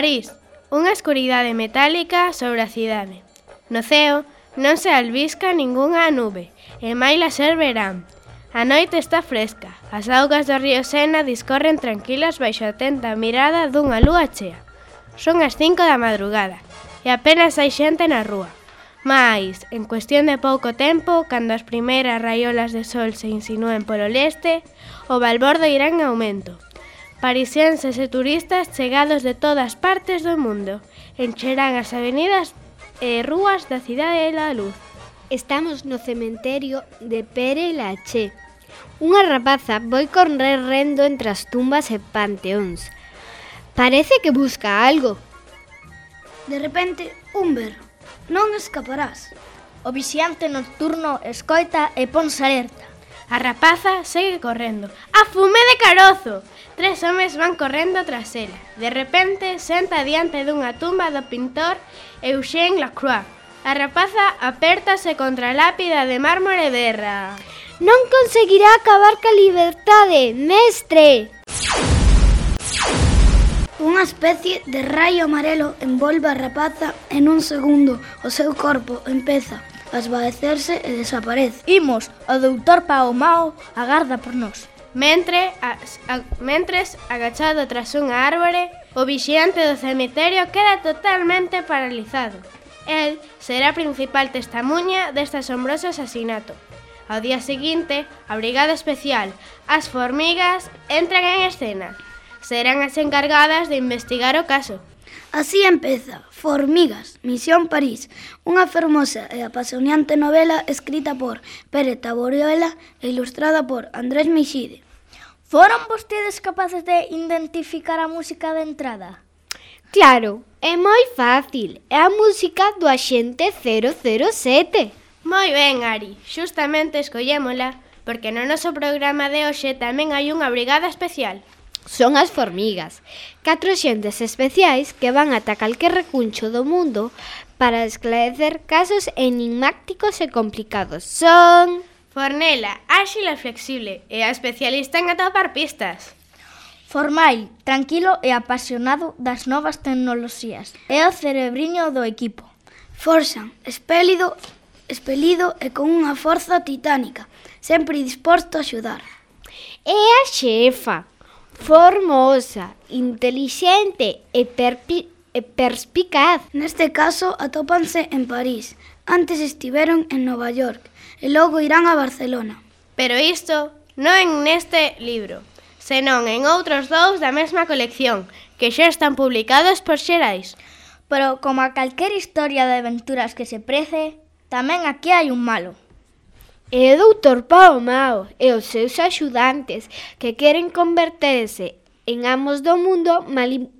París, unha escuridade metálica sobre a cidade. No ceo non se albisca ningunha nube, e maila ser verán. A noite está fresca, as augas do río Sena discorren tranquilas baixo a atenta mirada dunha lúa chea. Son as 5 da madrugada, e apenas hai xente na rúa. Mais, en cuestión de pouco tempo, cando as primeiras raiolas de sol se insinúen polo leste, o balbordo irá en aumento. Parisienses e turistas chegados de todas partes do mundo encherán as avenidas e rúas da cidade da luz. Estamos no cementerio de Pere Lachaise. Unha rapaza vai correr rendo entre as tumbas e panteóns. Parece que busca algo. De repente, un berro. Non escaparás. O vixiante nocturno escoita e ponse alerta. A rapaza segue correndo. A fume de carozo! 3 homes van correndo tras ela. De repente, senta diante dunha tumba do pintor Eugène Lacroix. A rapaza apértase contra a lápida de mármore e berra. Non conseguirá acabar ca liberdade, mestre! Unha especie de raio amarelo envolve a rapaza e nun segundo o seu corpo empeza a esvaecerse e desaparece. Imos, o doutor Pao Mao agarda por nós. Mentres, agachado tras unha árbore, o vixiante do cemiterio queda totalmente paralizado. El será a principal testemuña deste asombroso asasinato. Ao día seguinte, a Brigada Especial, as formigas, entran en escena. Serán as encargadas de investigar o caso. Así empeza Formigas, Misión París, unha fermosa e apasionante novela escrita por Pere Taboriola e ilustrada por Andrés Meixide. Foron vostedes capaces de identificar a música de entrada? Claro, é moi fácil, é a música do Axente 007. Moi ben, Ari, xustamente escollémola, porque no noso programa de hoxe tamén hai unha brigada especial. Son as formigas, 4 xentes especiais que van ata calquer recuncho do mundo para esclarecer casos enigmáticos e complicados. Son... Fornela, áxil e flexible, e a especialista en atopar pistas. Formal, tranquilo e apasionado das novas tecnoloxías. É o cerebriño do equipo. Forxan, espelido e con unha forza titánica, sempre disposto a axudar. É a xefa, formosa, intelixente e perspicaz. Neste caso, atópanse en París. Antes estiveron en Nova York e logo irán a Barcelona. Pero isto non neste libro, senón en outros 2 da mesma colección, que xa están publicados por Xerais. Pero como a calquer historia de aventuras que se prece, tamén aquí hai un malo. É o doutor Pao Mao e os seus axudantes que queren converterse en amos do mundo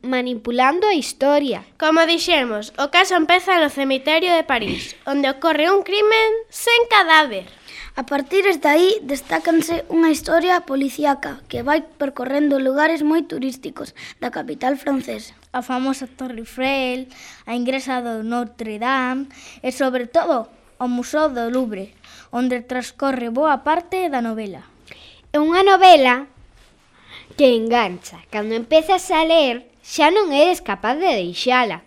manipulando a historia. Como dixemos, o caso empeza no cemiterio de París, onde ocorre un crimen sen cadáver. A partir de aí destácanse unha historia policíaca que vai percorrendo lugares moi turísticos da capital francesa. A famosa Torre Eiffel, a ingresa do Notre Dame e, sobre todo, o Museo do Louvre, onde transcorre boa parte da novela. É unha novela que engancha. Cando empezas a ler, xa non eres capaz de deixala.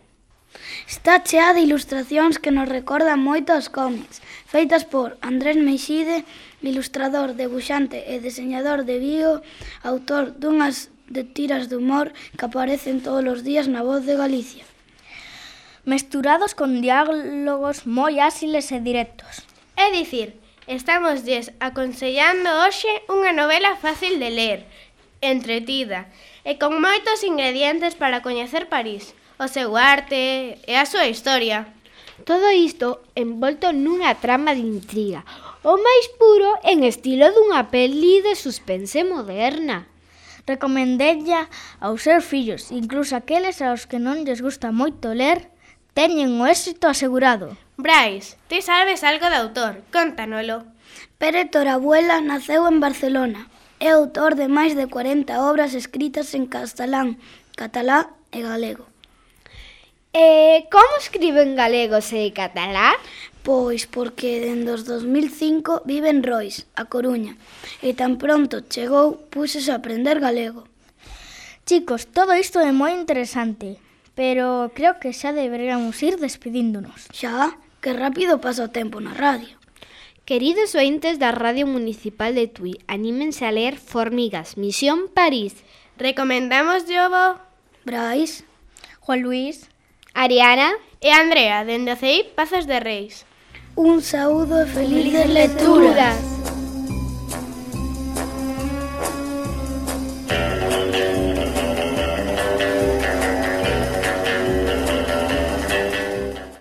Está chea de ilustracións que nos recordan moito aos cómics, feitas por Andrés Meixide, ilustrador, debuxante e deseñador de Vigo, autor dunhas de tiras de humor que aparecen todos os días na Voz de Galicia. Mesturados con diálogos moi áxiles e directos. É dicir, estámoslles aconsellando hoxe unha novela fácil de ler, entretida e con moitos ingredientes para coñecer París, o seu arte e a súa historia. Todo isto envolto nunha trama de intriga, o máis puro en estilo dunha peli de suspense moderna. Recomendella aos seus fillos, incluso aqueles aos que non lles gusta moito ler, teñen o éxito asegurado. Brais, ti sabes algo de autor, cóntanolo. Pere Taboriola naceu en Barcelona. É autor de máis de 40 obras escritas en castelán, catalá e galego. Como escribe en galego e catalá? Pois porque dende os 2005 vive en Rois, a Coruña, e tan pronto chegou, púxose a aprender galego. Chicos, todo isto é moi interesante, pero creo que xa deberíamos ir despedíndonos. Xa, que rápido pasa o tempo na radio. Queridos ointes da Radio Municipal de Tui, anímense a ler Formigas, Misión París. Recomendamos Jobo Brais, Juan Luis, Ariana e Andrea, dende o CEIP Pazos de Reis. un saúdo e felices lecturas. lecturas.